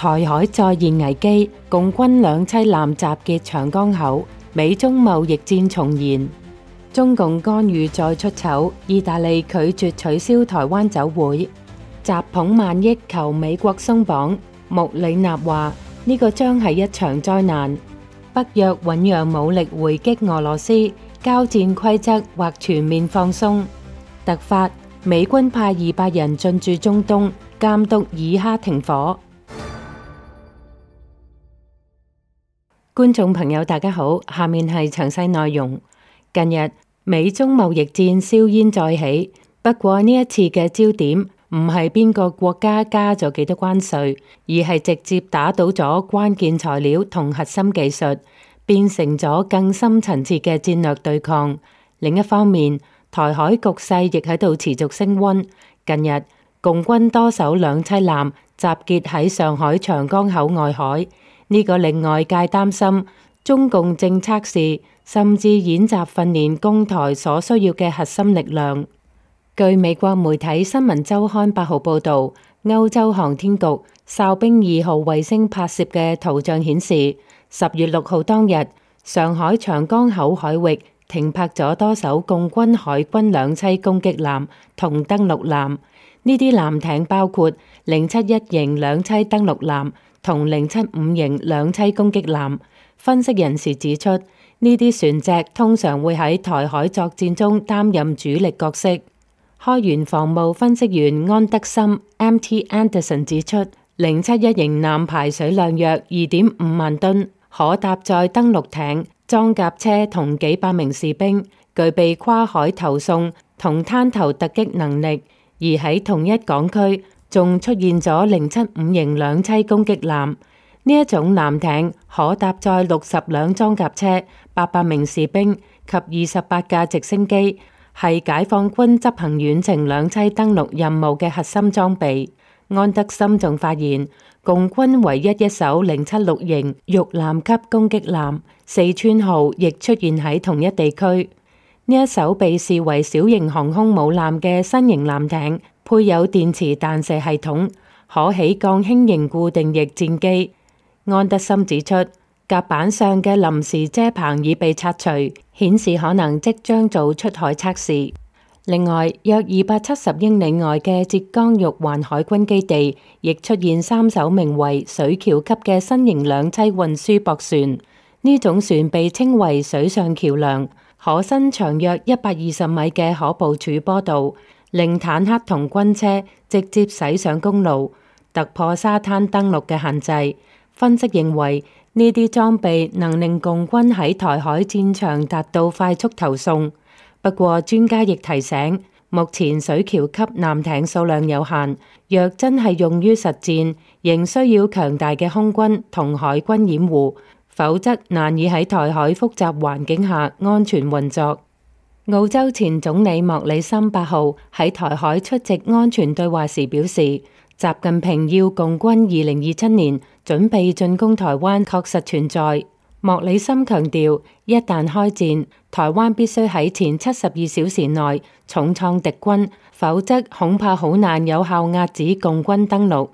台海再現危機，共軍兩棲艦集結長江口，美中貿易戰重燃。中共干預再出醜，意大利拒絕取消台灣酒會，習捧萬億求美國鬆綁。穆里納話呢個將係一場災難。北約醞釀武力回擊俄羅斯，交戰規則或全面放鬆。突發，美軍派200人進駐中東，監督以哈停火。觀眾朋友大家好，下面係詳細內容。近日美中貿易戰硝煙再起，不過呢一次嘅焦點唔係邊個國家加咗幾多關稅，而係直接打倒咗關鍵材料同核心技術，變成咗更深層次嘅戰略對抗。另一方面，台海局勢亦喺度持續升溫。近日共軍多艘兩棲艦集結喺上海長江口外海，呢個令外界擔心中共正測試甚至演習訓練攻台所需要嘅核心力量。據美國媒體新聞週刊8號報導，歐洲航天局哨兵2號衛星拍攝嘅圖像顯示，10月6號當日，上海長江口海域停泊咗多艘共軍海軍兩棲攻擊艦同登陸艦。呢啲艦艇包括071型兩棲登陸艦同075型兩棲攻擊艦。分析人士指出，呢啲船隻通常會喺台海作戰中擔任主力角色。開源防務分析員安德森 （Mt. Anderson） 指出，071型艦排水量約2.5萬噸，可搭載登陸艇、裝甲車同幾百名士兵，具備跨海投送同灘頭突擊能力。而喺同一港區，仲出現咗075型兩棲攻擊艦。呢一種艦艇可搭載60輛裝甲車、800名士兵及28架直升機，係解放軍執行遠程兩棲登陸任務嘅核心裝備。安德森仲發現，共軍唯一一艘076型玉艦級攻擊艦四川號亦出現喺同一地區。呢一艘被視為小型航空母艦嘅新型艦艇，配有電磁彈射系統，可起降輕型固定翼戰機。安德森指出，甲板上嘅臨時遮棚已被拆除，顯示可能即將做出海測試。另外，約270英里外嘅浙江玉環海軍基地，亦出現3艘名為水橋級嘅新型兩棲運輸駁船。呢種船被稱為水上橋梁，可伸長約120米嘅可部署坡道，令坦克同軍車直接駛上公路，突破沙灘登陸嘅限制。分析認為，呢啲裝備能令共軍喺台海戰場達到快速投送。不過，專家亦提醒，目前水橋級艦艇數量有限，若真係用於實戰，仍需要強大嘅空軍同海軍掩護，否則難以喺台海複雜環境下安全運作。澳洲前總理莫里森8號喺台海出席安全對話時表示，習近平要共軍2027年準備進攻台灣確實存在。莫里森強調，一旦開戰，台灣必須喺前72小時內重創敵軍，否則恐怕好難有效壓止共軍登陸。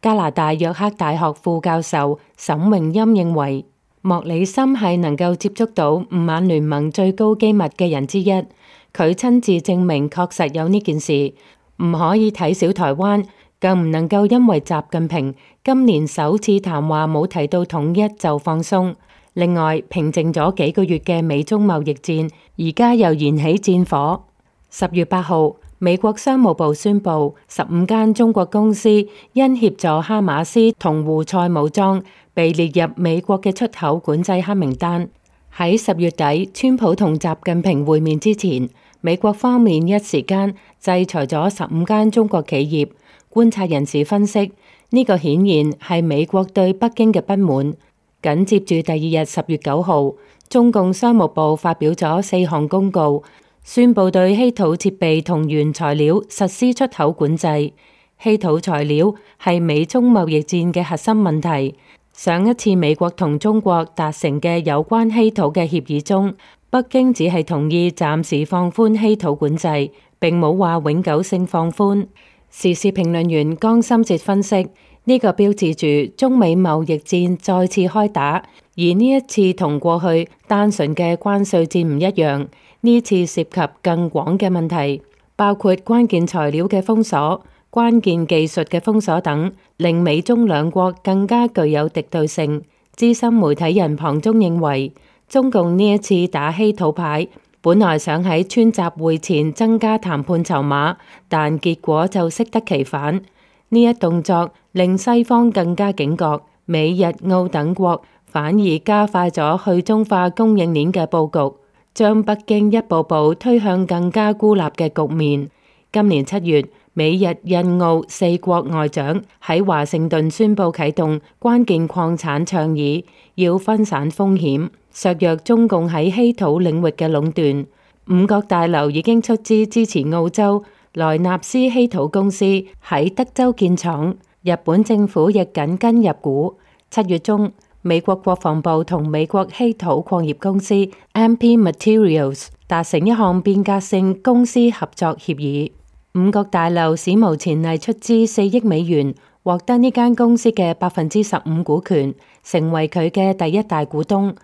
加拿大約克大學副教授沈榮欽認為，莫里森係能夠接觸到五眼聯盟最高機密嘅人之一，佢親自證明確實有呢件事，唔可以睇小台灣。更唔能夠因為習近平今年首次談話冇提到統一就放鬆。另外，平靜咗幾個月嘅美中貿易戰，而家又燃起戰火。10月8號，美國商務部宣布，15間中國公司因協助哈馬斯同胡塞武裝，被列入美國嘅出口管制黑名單。喺10月底，川普同習近平會面之前，美國方面一時間制裁咗15間中國企業。觀察人士分析，呢個顯然係美國對北京嘅不滿。緊接住第二日10月9號，中共商務部發表咗4項公告，宣布對稀土設備同原材料實施出口管制。稀土材料係美中貿易戰嘅核心問題。上一次美國同中國達成嘅有關稀土嘅協議中，北京只係同意暫時放寬稀土管制，並冇話永久性放寬。時事評論員江心哲分析，呢個標誌住中美貿易戰再次開打，而呢一次同過去單純嘅關稅戰唔一樣，呢次涉及更廣嘅問題，包括關鍵材料嘅封鎖、關鍵技術嘅封鎖等，令美中兩國更加具有敵對性。資深媒體人龐中認為，中共呢一次打稀土牌，本來想喺川習會前增加談判籌碼，但結果就適得其反。呢一動作令西方更加警覺，美日澳等國反而加快咗去中化供應鏈嘅佈局，將北京一步步推向更加孤立嘅局面。今年7月，美日印澳4國外長喺華盛頓宣布啟動關鍵礦產倡議，要分散風險，削弱中共喺稀土領域嘅壟斷。五角大樓已經出資支持澳洲萊納斯稀土公司喺德州建廠，日本政府亦緊跟入股。7月中，美國國防部同美國稀土礦業公司 MP Materials 達成一項變革性公司合作協議。五角大樓史無前例出資4億美元，獲得呢間公司嘅15%股權，成為佢嘅第一大股東。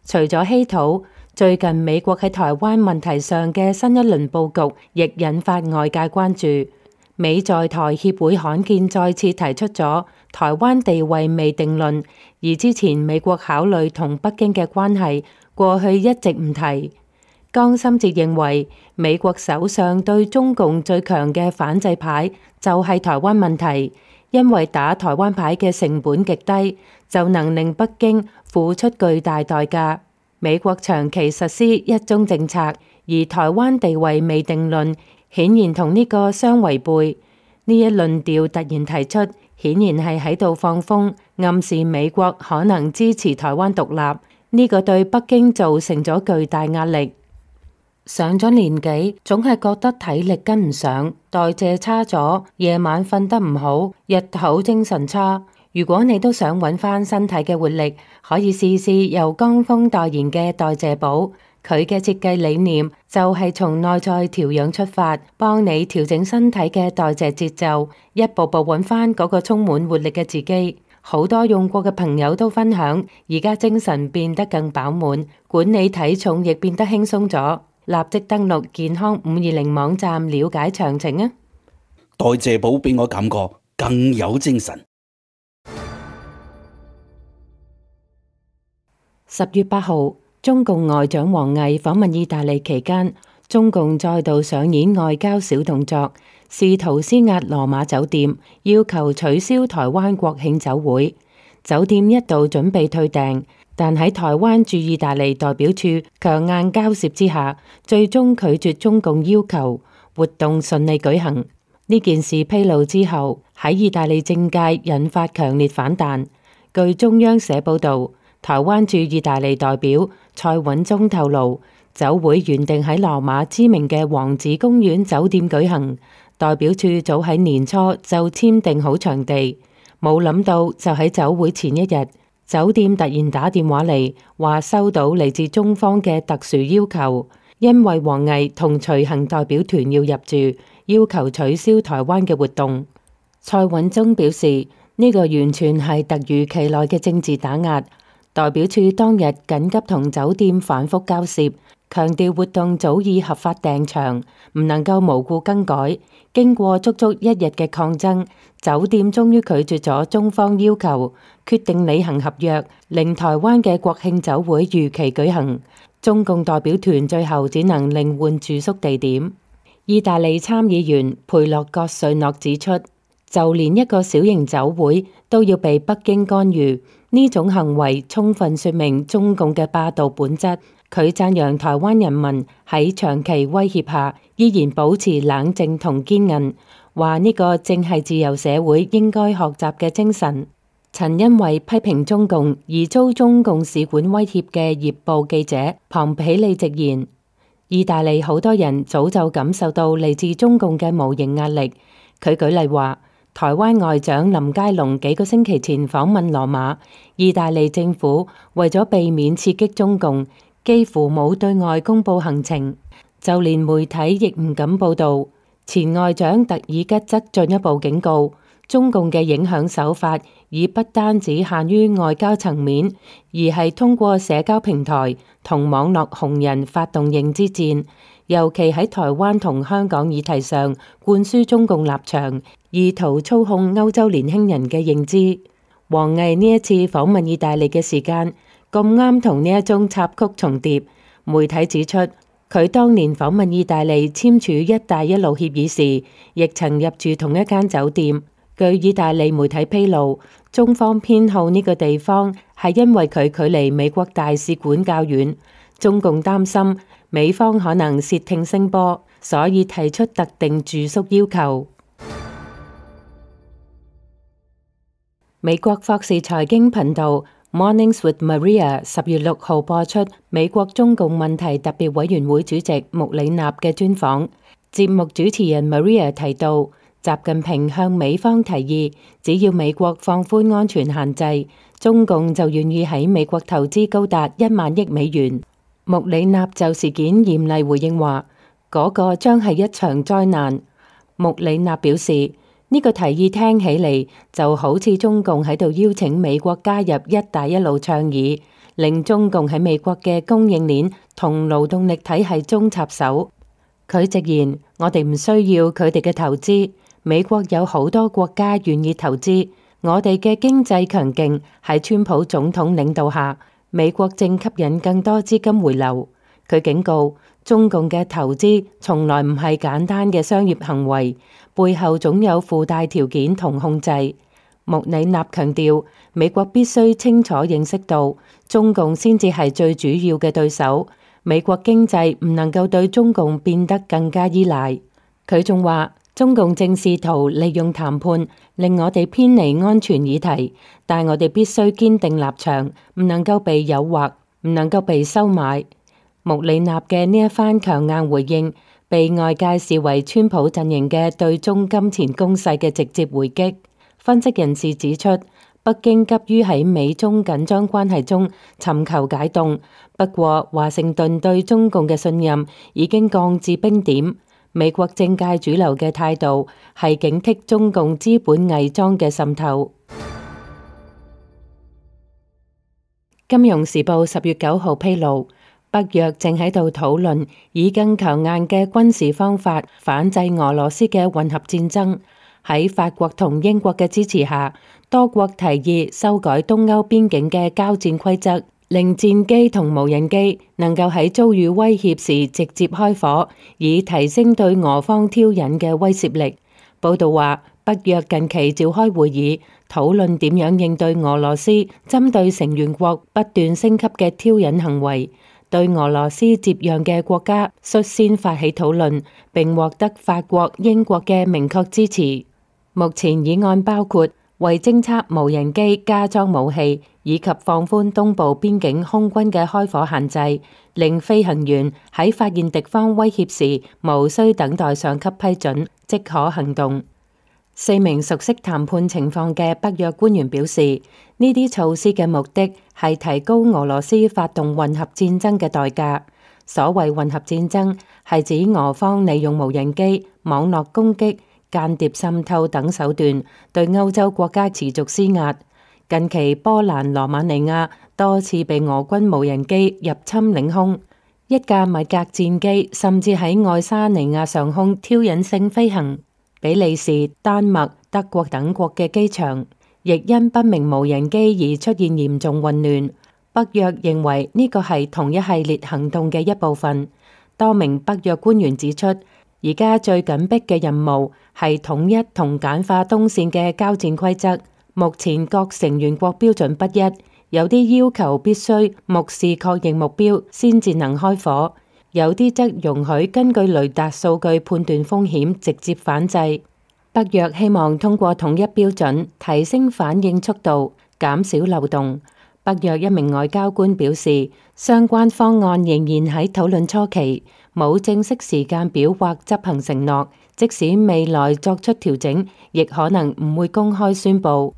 除咗稀土，最近美國喺台灣問題上嘅新一輪佈局，亦引發外界關注。美在台協會罕見再次提出咗台灣地位未定論，而之前美國考慮同北京嘅關係，過去一直唔提。江心哲認為，美國手上對中共最強嘅反制牌就係台灣問題，因為打台灣牌嘅成本極低，就能令北京付出巨大代價。美國長期實施一中政策，而台灣地位未定論顯然同呢個相違背。呢一論調突然提出，顯然係喺度放風，暗示美國可能支持台灣獨立。呢個對北京造成咗巨大壓力。上咗年紀，總係覺得體力跟唔上，代謝差咗，夜晚瞓得唔好，日頭精神差。如果你都想揾翻身體嘅活力，可以試試由江峰代言嘅代謝寶。佢嘅設計理念就係從內在調養出發，幫你調整身體嘅代謝節奏，一步步揾翻嗰個充滿活力嘅自己。好多用過嘅朋友都分享，而家精神變得更飽滿，管理體重亦變得輕鬆咗。立即登錄健康520網站了解詳情啊！代謝寶俾我感覺更有精神。10月8號，中共外長王毅訪問意大利期間，中共再度上演外交小動作，試圖施壓羅馬酒店，要求取消台灣國慶酒會。酒店一度準備退訂，但喺台灣駐意大利代表處強硬交涉之下，最終拒絕中共要求，活動順利舉行。呢件事披露之後，喺意大利政界引發強烈反彈。據中央社報道，台灣駐意大利代表蔡允忠透露，酒會原定喺羅馬知名嘅王子公園酒店舉行，代表處早喺年初就簽訂好場地，冇諗到就喺酒會前一日，酒店突然打電話嚟，話收到嚟自中方嘅特殊要求，因為王毅同隨行代表團要入住，要求取消台灣嘅活動。蔡允忠表示，呢個完全係突如其來嘅政治打壓。代表處當日緊急同酒店反覆交涉，強調活動早已合法訂場，唔能夠無故更改。經過足足1日嘅抗爭，酒店終於拒絕咗中方要求，決定履行合約，令台灣嘅國慶酒會如期舉行。中共代表團最後只能另換住宿地點。意大利參議員佩洛葛瑞諾指出，就連一個小型酒會都要被北京干預，呢種行為充分說明中共嘅霸道本質。佢讚揚台灣人民喺長期威脅下依然保持冷靜同堅韌，話呢個正係自由社會應該學習嘅精神。曾因為批評中共而遭中共使館威脅嘅葉報記者龐皮利直言，意大利好多人早就感受到嚟自中共嘅無形壓力。佢舉例話，台灣外長林佳龍幾個星期前訪問羅馬，意大利政府為咗避免刺激中共，幾乎冇對外公布行程，就連媒體亦唔敢報道。前外長特爾吉則進一步警告，中共嘅影響手法已不單只限於外交層面，而係通過社交平台同網絡紅人發動認知戰，尤其喺台灣同香港議題上灌輸中共立場，意圖操控歐洲年輕人嘅認知。王毅呢一次訪問意大利嘅時間咁啱同呢一宗插曲重疊，媒體指出佢當年訪問意大利簽署一帶一路協議時，亦曾入住同一間酒店。據意大利媒體披露，中方偏好呢個地方係因為佢距離美國大使館較遠，中共擔心美方可能竊聽聲波，所以提出特定住宿要求。美國霍士財經頻道 Mornings with Maria 10月6號播出美國中共問題特別委員會主席穆里納嘅專訪。節目主持人 Maria 提到，習近平向美方提議，只要美國放寬安全限制，中共就願意喺美國投資高達1萬億美元。穆里納就事件嚴厲回應話，嗰個將係一場災難。穆里納表示，呢個提議聽起嚟就好似中共喺度邀請美國加入一帶一路倡議，令中共喺美國嘅供應鏈同勞動力體系中插手。佢直言，我哋唔需要佢哋嘅投資，美國有好多國家願意投資，我哋嘅經濟強勁，喺川普總統領導下，美國正吸引更多資金回流。佢警告，中共嘅投資從來唔係簡單嘅商業行為，背後總有附帶條件同控制。穆里納強調，美國必須清楚認識到，中共先至係最主要嘅對手，美國經濟唔能夠對中共變得更加依賴。佢仲話，中共正試圖利用談判令我哋偏離安全議題，但我哋必須堅定立場，唔能夠被誘惑，唔能夠被收買。穆里納嘅呢一番強硬回應，被外界視為川普陣營嘅對中金錢攻勢嘅直接回擊。分析人士指出，北京急於喺美中緊張關係中尋求解凍，不過華盛頓對中共嘅信任已經降至冰點。美國政界主流嘅態度係警惕中共資本偽裝嘅滲透。金融時報10月9號披露，北約正喺度討論以更強硬嘅軍事方法反制俄羅斯嘅混合戰爭。喺法國同英國嘅支持下，多國提議修改東歐邊境嘅交戰規則，令戰機同無人機能夠喺遭遇威脅時直接開火，以提升對俄方挑釁嘅威懾力。報道話，北約近期召開會議，討論點樣應對俄羅斯針對成員國不斷升級嘅挑釁行為。對俄羅斯接壤嘅國家率先發起討論，並獲得法國、英國嘅明確支持。目前議案包括為偵測無人機加裝武器，以及放寬東部邊境空軍嘅開火限制，令飛行員喺發現敵方威脅時無需等待上級批准，即可行動。4名熟悉談判情況嘅北約官員表示，呢啲措施嘅目的係提高俄羅斯發動混合戰爭嘅代價。所謂混合戰爭係指俄方利用無人機、網絡攻擊、間諜滲透等手段對歐洲國家持續施壓。近期波蘭羅馬尼亞多次被俄軍無人機入侵領空，一架米格戰機甚至喺愛沙尼亞上空挑釁性飛行。比利時、丹麥、德國等國嘅機場亦因不明無人機而出現嚴重混亂。北約認為呢個係同一系列行動嘅一部分。多名北約官員指出，而家最緊迫嘅任務係統一同簡化東線嘅交戰規則。目前各成員國標準不一，有啲要求必須目視確認目標先至能開火。有啲則容許根據雷達數據判斷風險，直接反制。北約希望通過統一標準，提升反應速度，減少漏洞。北約一名外交官表示，相關方案仍然喺討論初期，冇正式時間表或執行承諾。即使未來作出調整，亦可能唔會公開宣佈。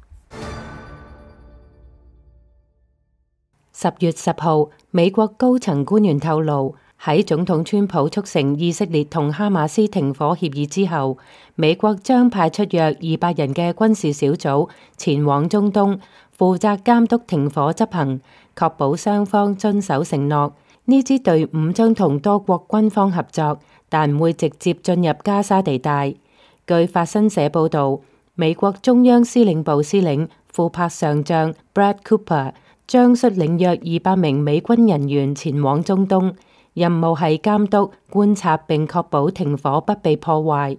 10月10號，美國高層官員透露，喺總統川普促成以色列同哈馬斯停火協議之後，美國將派出約200人嘅軍事小組前往中東，負責監督停火執行，確保雙方遵守承諾。呢支隊伍將同多國軍方合作，但唔會直接進入加沙地帶。據法新社報導，美國中央司令部司令庫珀上將 Brad Cooper 將率領約200名美軍人員前往中東，任務係監督、觀察並確保停火不被破壞。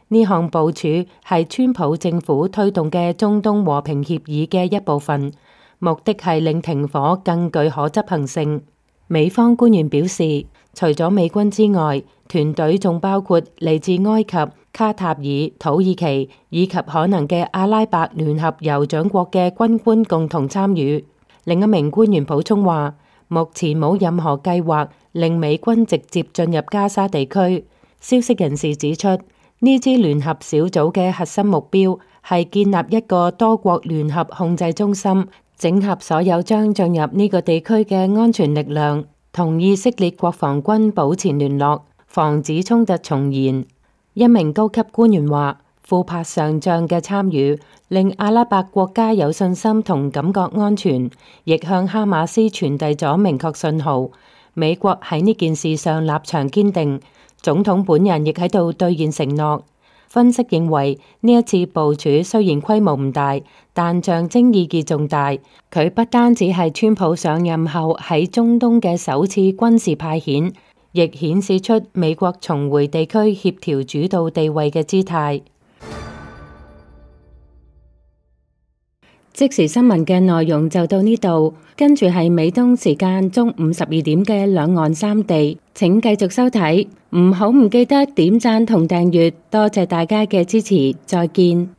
呢項部署係川普政府推動嘅中東和平協議嘅一部分，目的係令停火更具可執行性。美方官員表示，除咗美軍之外，團隊仲包括嚟自埃及、卡塔爾、土耳其以及可能嘅阿拉伯聯合酋長國嘅軍官共同參與。另一名官員補充話，目前冇任何計劃令美軍直接進入加沙地區。消息人士指出，呢支聯合小組嘅核心目標係建立一個多國聯合控制中心，整合所有將進入呢個地區嘅安全力量，同以色列國防軍保持聯絡，防止衝突重燃。一名高級官員話，庫珀上將嘅參與令阿拉伯國家有信心同感覺安全，亦向哈馬斯傳遞咗明確信號。美國喺呢件事上立場堅定，總統本人亦喺度兌現承諾。分析認為，呢一次部署雖然規模唔大，但象徵意義重大。佢不單止係川普上任後喺中東嘅首次軍事派遣，亦顯示出美國重回地區協調主導地位嘅姿態。即時新聞嘅內容就到呢度，跟住係美東時間中午12點嘅兩岸三地，請繼續收睇，唔記得點讚同訂閱，多謝大家嘅支持，再見。